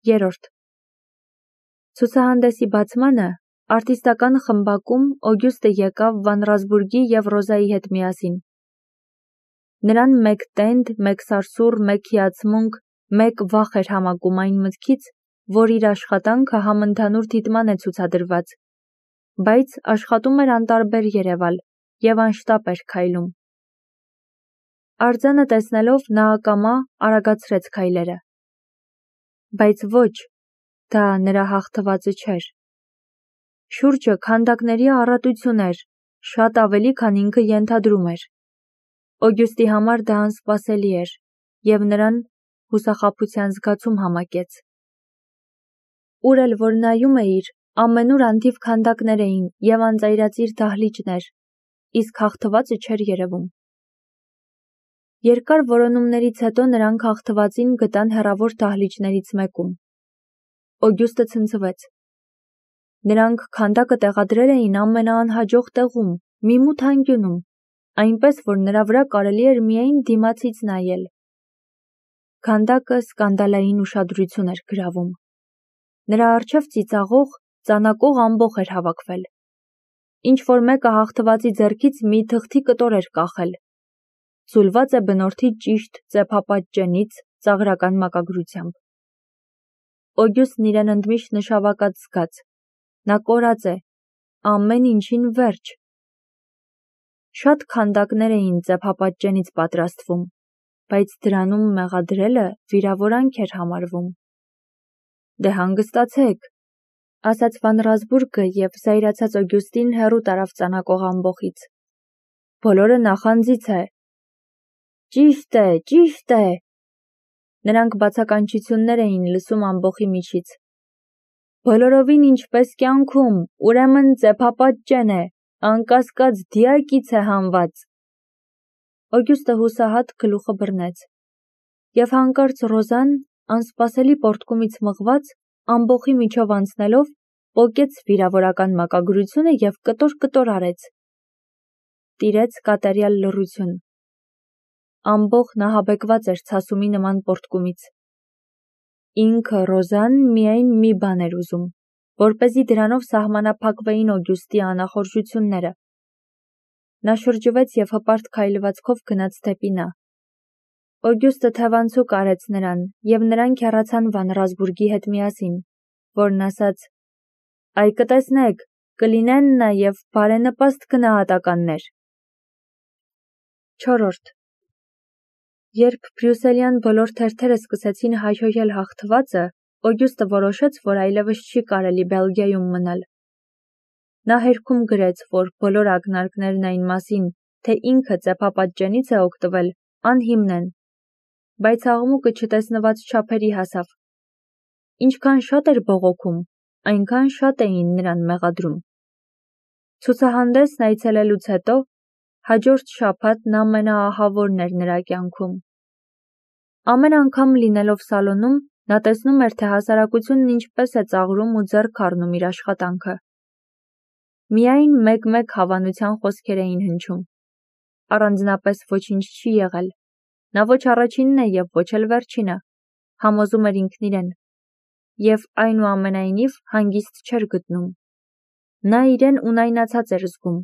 3. Ցուցահանդեսի բացմանը արտիստական խմբակում Օգյուստը եկավ Վանրազբուրգի և Ռոզայի հետ միասին։ Նրան մեկ տենդ, մեկ սարսուռ, մեկ հիացմունք, մեկ վախ էր համակում այն մտքից, որ իր աշխատանքը համընդհանուր դիտման է ցուցադրված, բայց աշխատում էր անտարբեր երևալ և անշտապ էր քայլում։ Արձանը տեսնելով նա ակամա արագացրեց քայլերը։ Բայց ոչ, դա նրա հաղթվածը չէր։ Շուրջը քանդակների առատություն էր, շատ ավելի, քան ինքը ենթադրում էր։ Օգյուստի համար դա անսպասելի էր, և նրան հուսախաբության զգացում համակեց։ Ուր էլ որ նայում էիր, ամենուր անթիվ քանդակներ էին և անծայրածիր դահլիճներ, իսկ հաղթվածը չէր երևում։ Երկար որոնումներից հետո նրանք հաղթվածին գտան հեռավոր դահլիճներից մեկում։ Օգյուստը ցնցվեց։ Նրանք քանդակը տեղադրել էին ամենաանհաջող տեղում, մի մութ անկյունում, այնպես, որ նրա վրա կարելի էր միայն դիմացից նայել։ Քանդակը սկանդալային ուշադրություն էր գրավում։ Նրա առջև ծիծաղող, ծանակող ամբոխ էր հավաքվել։ Ինչ-որ մեկը հաղթվածի ձեռքից մի թղթի կտոր էր կախել։ Ձուլված է բնորդի ճիշտ ծեփապատ ծաղրական մակագրությամբ։ Օգյուստն իրեն ընդմիշտ նշավակած զգաց։ Նա կորած է, ամեն ինչին վերջ։ Շատ քանդակներ էին ծեփապատ պատրաստվում, բայց դրանում մեղադրելը վիրավորանք էր համարվում։ Դե հանգստացեք, ասաց Վանրազբուրգը և զայրացած Օգյուստին հեռու տարավ ծանակող ամբոխից։ Բոլորը նախանձից է։ Ճիշտ է, ճիշտ է։ Նրանք բացականչություններ էին լսում ամբոխի միջից։ Բոլորովին ինչպես կյանքում, ուրեմն ծեփապատ է, անկասկած դիակից է հանված։ Օգյուստը հուսահատ գլուխը բռնեց։ Եվ հանկարծ Ռոզան, անսպասելի պոռթկումից մղված, ամբոխի միջով անցնելով, պոկեց վիրավորական մակագրությունը և կտոր-կտոր արեց։ Տիրեց կատարյալ լռություն։ Ամբոխն ահաբեկված էր ցասումի նման պոռթկումից։ Ինքը Ռոզան միայն մի բան էր ուզում, որպեսզի դրանով սահմանափակվեին Օգյուստի անախորժությունները։ Նա շրջվեց և հպարտ քայլվածքով գնաց դեպի նա։ Օգյուստը թևանցուկ արեց նրան, և նրանք հեռացան Վանրազբուրգի հետ միասին, որն ասաց. «Այ կտեսնեք, կլինեն նաև բարենպաստ գնահատականներ»։ 4. Երբ բրյուսելյան բոլոր թերթերը սկսեցին հայհոյել հաղթվածը, Օգյուստը որոշեց, որ այլևս չի կարելի Բելգիայում մնալ։ Նա հերքում գրեց, որ բոլոր ակնարկներն այն մասին, թե ինքը ծեփապատճենից է օգտվել, անհիմն են, բայց աղմուկը չտեսնված չափերի հասավ։ Ինչքան շատ էր բողոքում, այնքան շատ էին նրան մեղադրում։ Ցուցահանդեսն այցելելուց հետո հաջորդ շաբաթն ամենաահավորն էր նրա կյանքում։ Ամեն անգամ լինելով սալոնում, նա տեսնում էր, թե հասարակությունն ինչպես է ծաղրում ու ձեռք առնում իր աշխատանքը։ Միայն մեկ-մեկ հավանության խոսքեր էին հնչում։ Առանձնապես ոչինչ չի եղել։ Նա ոչ առաջինն է և ոչ էլ վերջինը, համոզում էր ինքն իրեն, և այնուամենայնիվ հանգիստ չէր գտնում։ Նա իրեն ունայնացած էր զգում։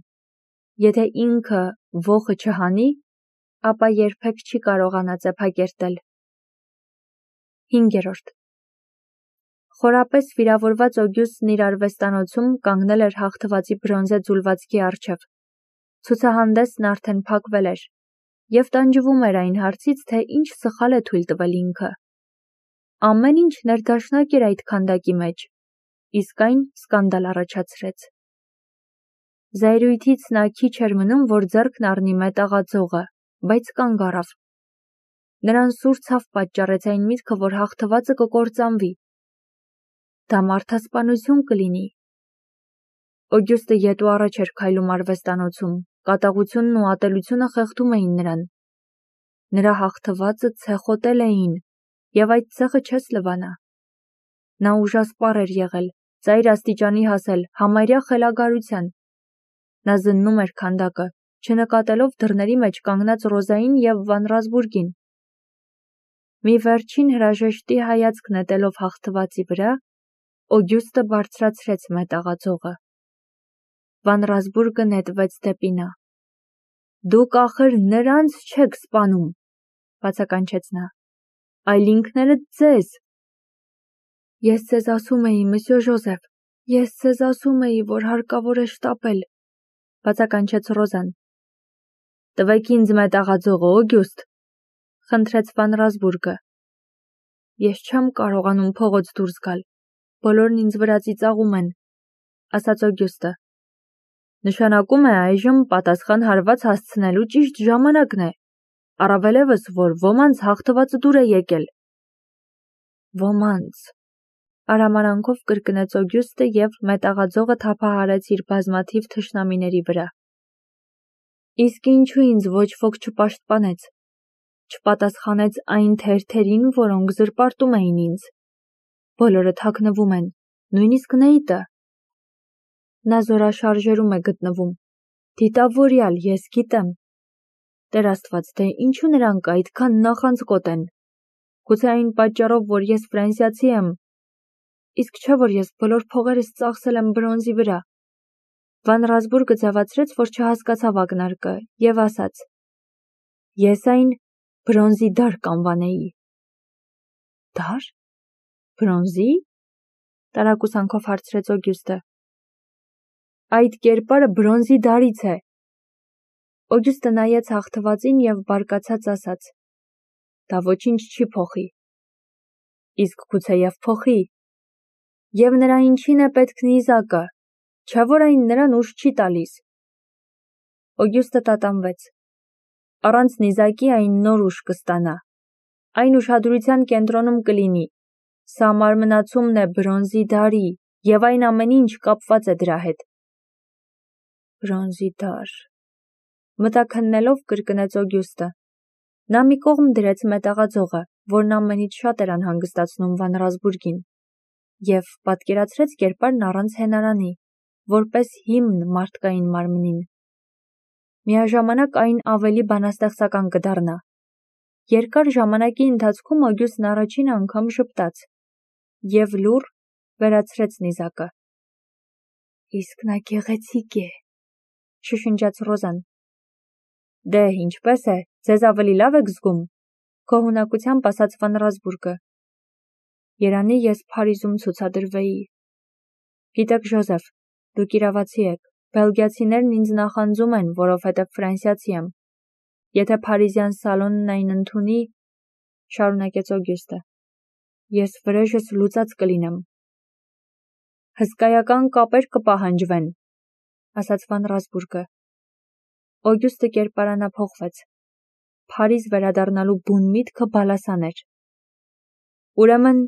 Եթե ինքը ոխը չհանի, ապա երբեք չի կարողանա ծեփակերտել։ 5. Խորապես վիրավորված Օգյուստն իր արվեստանոցում կանգնել էր հաղթվածի բրոնզե ձուլվածքի առջև։ Ցուցահանդեսն արդեն փակվել էր, և տանջվում էր այն հարցից, թե ինչ սխալ է թույլ տվել ինքը։ Ամեն ինչ ներդաշնակ էր այդ քանդակի մեջ, իսկ այն սկանդալ առաջացրեց։ Զայրույթից նա քիչ էր մնում, որ ձեռքն առնի մետաղաձողը, բայց կանգ առավ։ Նրան սուր ցավ պատճառեց այն միտքը, որ հաղթվածը կկործանվի։ Դա մարդասպանություն կլինի։ Օգյուստը ետ ու առաջ էր քայլում արվեստանոցում, կատաղությունն ու ատելությունը խեղդում էին նրան։ Նրա հաղթվածը ցեխոտել էին, և այդ ցեխը չես լվանա։ Նա ուժասպառ էր եղել, ծայր աստիճանի հասել, համարյա խելագարության։ Նա զննում էր քանդակը, չնկատելով դռների մեջ կանգնած Ռոզային և Վանրազբուրգին։ Մի վերջին հրաժեշտի հայացք նետելով հաղթվածի վրա, Օգյուստը բարձրացրեց մետաղաձողը։ Վան Ռասբուրգը նետվեց դեպի նա։ Դուք ախր նրանց չեք սպանում, բացականչեց նա, այլ ինքներդ ձեզ։ Ես ձեզ ասում էի, մսյո Ժոզեֆ, ես ձեզ ասում էի, որ հարկավոր է շտապել, բացականչեց Ռոզան։ Տվեք ինձ մետաղաձողը, Օգյուստ, խնդրեց Վան Ռասբուրգը։ Ես չեմ կարողանում փողոց դուրս գալ, բոլորն ինձ վրա ծիծաղում են, ասաց Օգյուստը։ Նշանակում է այժմ պատասխան հարված հասցնելու ճիշտ ժամանակն է, առավելևս, որ ոմանց հաղթվածը դուր է եկել։ Ոմանց, արամարանքով կրկնեց Օգյուստը և մետաղաձողը թափահարեց իր բազմաթիվ թշնամիների վրա։ Իսկ ինչու ինձ ոչ ոք չպաշտպանեց, չպատասխանեց այն թերթերին, որոնք զրպարտում էին ինձ։ Բոլորը թաքնվում են, նույնիսկ Նեյտը։ Նա զորաշարժերում է գտնվում։ Դիտավորյալ, ես գիտեմ։ Տեր Աստված, դե ինչու նրանք այդքան նախանձկոտ են։ Գուցե այն պատճառով, որ ես ֆրանսիացի եմ, իսկ չէ, որ ես բոլոր փողերս ծախսել եմ բրոնզի վրա։ Վան Ռասբուրգը ձևացրեց, որ չհասկացավ ակնարկը, և ասաց. Ես այն բրոնզի դար կանվանեի։ Դար? Բրոնզի? Տարակուսանքով հարցրեց Օգյուստը։ Այդ կերպարը բրոնզի դարից է։ Օգյուստը նայեց հաղթվածին և բարկացած ասաց. Դա ոչինչ չի փոխի։ Իսկ գուցեև փոխի։ Եվ նրա ինչին է պետք նիզակը, չէ՞ որ այն նրան ուժ չի տալիս։ Օգյուստը տատանվեց։ Առանց նիզակի այն նոր ուժ կստանա։ Այն ուշադրության կենտրոնում կլինի։ Սա մարմնացումն է բրոնզի դարի, և այն ամեն ինչ կապված է դրա հետ։ Բրոնզի դար։ Մտաքննելով կրկնեց Օգյուստը։ Նա մի կողմ դրեց մետաղաձողը, որն ամենից շատ էր անհանգստացնում Վան Ռասբուրգին, և պատկերացրեց կերպարն առանց հենարանի, որպես հիմն մարդկային մարմնին։ Միաժամանակ այն ավելի բանաստեղծական կդառնա։ Երկար ժամանակի ընթացքում Օգյուստն առաջին անգամ ժպտաց և լուռ վերացրեց նիզակը։ Իսկ նա գեղեցիկ է, շշնջաց Ռոզան։ Դե, ինչպես է, ձեզ ավելի լավ եք զգում, գոհունակությամբ ասաց Վան Ռասբուրգը։ Երանի ես Փարիզում ցուցադրվեի։ Գիտեք, Ժոզեֆ, դուք իրավացի եք, բելգիացիներն ինձ նախանձում են, որովհետև ֆրանսիացի եմ։ Եթե փարիզյան սալոնն այն ընդունի, շարունակեց Օգյուստը, ես վրեժս լուծած կլինեմ։ Հսկայական կապեր կպահանջվեն, ասաց Վան Ռասբուրգը։ Օգյուստը կերպարանափոխվեց։ Փարիզ վերադառնալու բուն միտքը բալասան էր։ Ուրեմն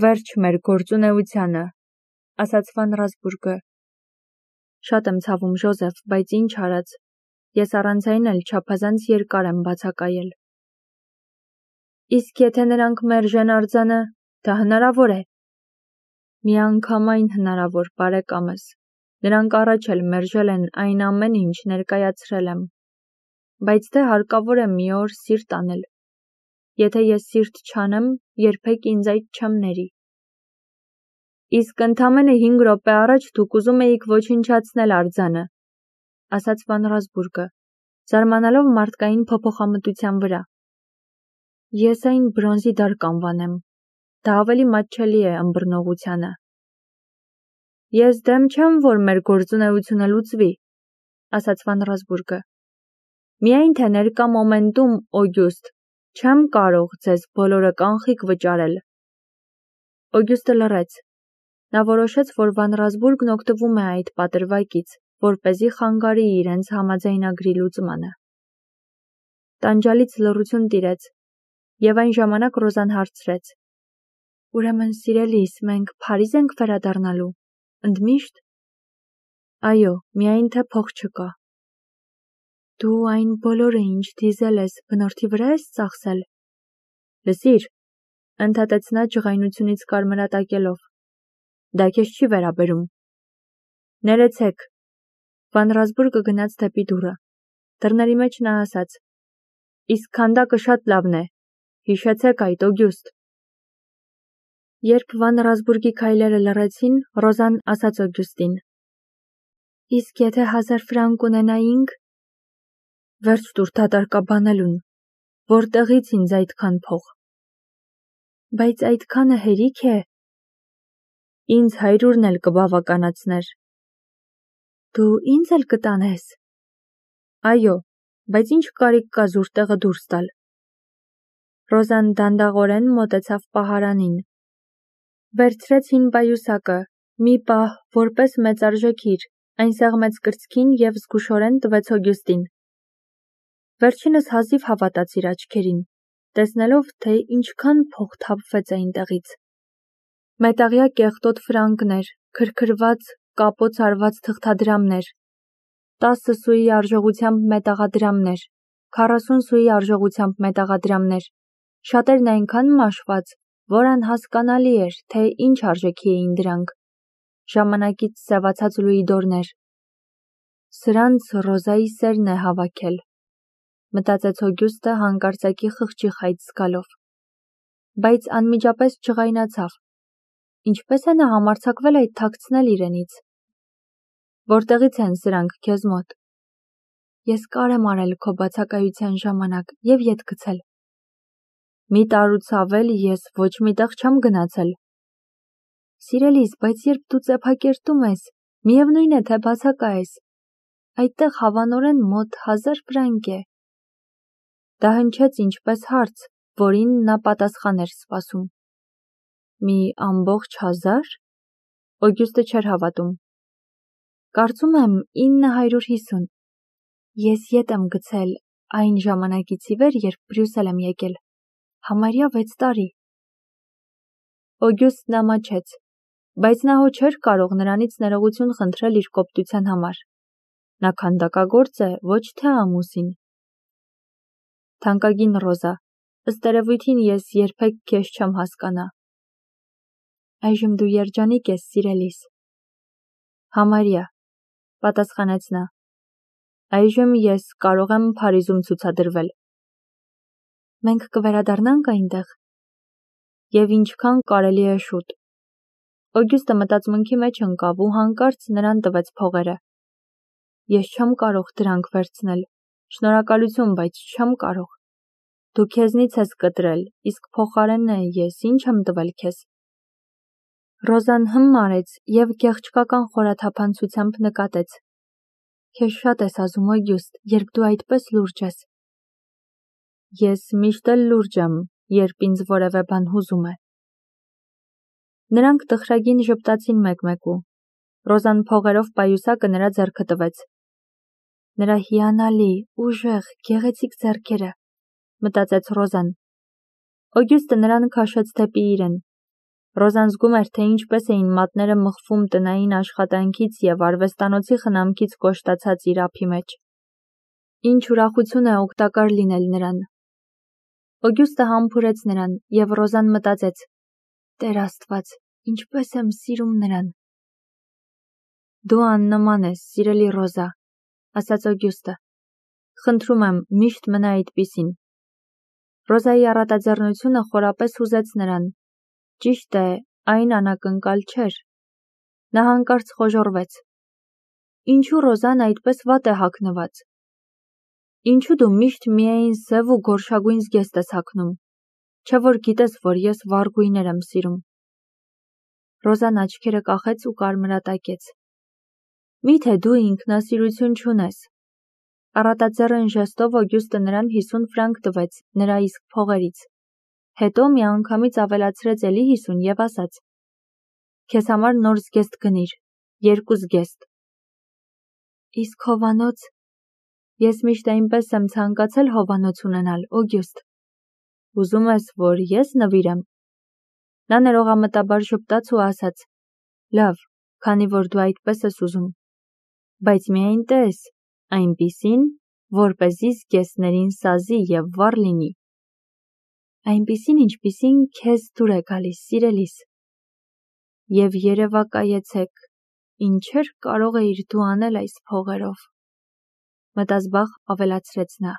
վերջ մեր գործունեությանը, ասաց Վան Ռասբուրգը։ Շատ եմ ցավում, Ժոզեֆ, բայց ինչ արած, ես առանց այն էլ չափազանց երկար եմ բացակայել։ Իսկ եթե նրանք մերժեն արձանը, դա հնարավոր է։ Միանգամայն հնարավոր, բարեկամս։ Նրանք առաջ էլ մերժել են այն ամեն ինչ ներկայացրել եմ։ Բայց դե հարկավոր է մի օր սիրտ անել։ Եթե ես սիրտ չանեմ, երբեք ինձ այդ չեմ ների։ Իսկ ընդամենը 5 րոպե առաջ դուք ուզում էիք ոչնչացնել արձանը, ասաց Վան Ռասբուրգը, զարմանալով մարդկային փոփոխամտության վրա։ Ես այն բրոնզի դար կանվանեմ։ Դա ավելի մատչելի է ըմբռնողությանը։ Ես դեմ չեմ, որ մեր գործունեությունը լուծվի, ասաց Վան Ռասբուրգը։ Միայն թե ներկա մոմենտում, Օգյուստ, չեմ կարող ձեզ բոլորը կանխիկ վճարել։ Օգյուստը լռեց։ Նա որոշեց, որ Վան Ռասբուրգն օգտվում է այդ պատրվակից, որպեսզի խանգարի իրենց համաձայնագրի լուծմանը։ Տանջալից լռություն տիրեց, և այն ժամանակ Ռոզան հարցրեց. Ուրեմն, սիրելիս, մենք Փարիզ ենք վերադառնալու, ընդմիշտ։ Այո, միայն թե փող չկա։ Դու այն բոլորը, ինչ դիզել ես, բնորդի վրա ես ծախսել։ Լսիր, ընդհատեց նա ջղայնությունից կարմրատակելով։ Դա քեզ չի վերաբերում։ Ներեցեք։ Վան Ռասբուրգը գնաց դեպի դուռը։ Դռների մեջ նա ասաց. Իսկ քանդակը շատ լավն է, Հիշեցեք այդ, Օգյուստ։ Երբ Վան Ռասբուրգի քայլերը լռեցին, Ռոզան ասաց Օգյուստին. Իսկ եթե 1000 ֆրանկ ունենայինք, վերջ տուր դատարկաբանելուն, որտեղից ինձ այդքան փող։ Բայց այդքանը հերիք է։ Ինձ 100-ն էլ կբավականացներ։ Դու ինձ էլ կտանես։ Այո, բայց ինչ կարիք կա զուր տեղը դուրս տալ։ Ռոզան դանդաղորեն մոտեցավ պահարանին։ Վերցրեց հին պայուսակը, մի պահ, որպես մեծարժեքիր, այն սեղմեց կրծքին և զգուշորեն տվեց Օգյուստին։ Վերջինս հազիվ հավատաց իր աչքերին, տեսնելով, թե ինչքան փող թափվեց այնտեղից։ Մետաղյա կեղտոտ ֆրանկներ, քրքրված, կապոց արված թղթադրամներ, 10 սուի արժողությամբ մետաղադրամներ, 40 սուի արժողությամբ մետաղադրամներ, շատերն այնքան մաշված, որ անհասկանալի էր, թե ինչ արժեքի էին դրանք, ժամանակից սևացած լուիդորներ։ Սրանց Ռոզայի սերն է հավաքել, մտածեց Օգյուստը հանկարծակի խղճի խայծ զգալով, բայց անմիջապես չղայնացավ։ Ինչպես է նա համարձակվել այդ թաքցնել իրենից։ Որտեղից են սրանք քեզ մոտ։ Ես կար եմ արել քո բացակայության ժամանակ և ետ գցել։ Մի տարուց ավել ես ոչ միտեղ չեմ գնացել։ Սիրելիս, բայց երբ դու ծեփակերտում ես, միևնույն է, թե բացակա ես, այդտեղ հավանորեն մոտ 1000 ֆրանկ է։ Դա հնչեց ինչպես հարց, որին նա պատասխան էր սպասում։ Մի ամբողջ 1000? Օգյուստը չէր հավատում։ Կարծում եմ 950։ Ես ետ եմ գցել այն ժամանակից ի վեր, երբ Բրյուսել եմ եկել։ Համարյա 6 տարի։ Օգյուստն ամաչեց, բայց նա հո չէր կարող նրանից ներողություն խնդրել իր կոպտության համար։ Նա քանդակագործ է, ոչ թե ամուսին։ Թանկագին Ռոզա, ըստ երևույթին ես երբեք քեզ չեմ հասկանա։ Այժմ դու երջանիկ ես, սիրելիս։ Համարյա, պատասխանեց նա։ Այժմ ես կարող եմ Փարիզում ցուցադրվել։ Մենք կվերադառնանք այնտեղ։ Եվ ինչքան կարելի է շուտ։ Օգյուստը մտածմունքի մեջ ընկավ ու հանկարծ նրան տվեց փողերը։ Ես չեմ կարող դրանք վերցնել։ Շնորհակալություն, բայց չեմ կարող։ Դու քեզնից ես կտրել, իսկ փոխարենը ես ինչ եմ տվել քեզ։ Ռոզան արեց և գեղչկական խորաթափանցությամբ նկատեց. Քեզ շատ ես ազում, Օգյուստ, երբ դու այդպես լուրջ ես։ Ես միշտ էլ լուրջ եմ, երբ ինձ որևէ բան հուզում է։ Նրանք տխրագին ժպտացին մեկմեկու։ Ռոզան փողերով պայուսակը նրա ձեռքը տվեց։ Նրա հիանալի, ուժեղ, գեղեցիկ ձեռքերը, մտածեց Ռոզան։ Օգյուստը նրան քաշեց դեպի իրեն։ Ռոզան զգում էր, թե ինչպես էին մատները մխվում տնային աշխատանքից և արվեստանոցի խնամքից կոշտացած իր ափի մեջ։ Ինչ ուրախություն է օգտակար լինել նրան։ Օգյուստը համբուրեց նրան, և Ռոզան մտածեց. Տեր Աստված, ինչպես եմ սիրում նրան։ Դու աննման ես, սիրելի Ռոզա, ասաց Օգյուստը։ Խնդրում եմ, միշտ մնա այդպիսին։ Ռոզայի առատաձեռնությունը խորապես հուզեց նրան։ Ճիշտ է, այն անակնկալ չէր։ Նա հանկարծ խոժոռվեց։ Ինչու Ռոզան այդպես վատ է հագնված։ Ինչու դու միշտ միայն սև ու գորշագույն զգեստ ես հագնում։ Չէ որ գիտես, որ ես վառ գույներ եմ սիրում։ Ռոզան աչքերը կախեց ու կարմրատակեց։ Միթե դու ինքնասիրություն չունես։ Առատաձեռն ժեստով Օգյուստը նրան 50 ֆրանկ տվեց նրա իսկ փողերից։ Հետո միանգամից ավելացրեց էլի 50 և ասաց. Քեզ համար նոր զգեստ գնիր, 2 զգեստ։ Իսկ հովանոց։ Ես միշտ այնպես եմ ցանկացել հովանոց ունենալ, Օգյուստ։ Ուզում ես, որ ես նվիրեմ։ Նա ներողամտաբար ժպտաց ու ասաց. Լավ, քանի որ դու այդպես ես ուզում։ Բայց միայն տես, այնպիսին, որպեսզի զգեստներին սազի և վառ լինի։ Այնպիսին, ինչպիսին քեզ դուր է գալիս, սիրելիս։ Եվ երևակայեցեք, ինչեր կարող էիր դու անել այս փողերով։ Մտազբաղ ավելացրեց նա։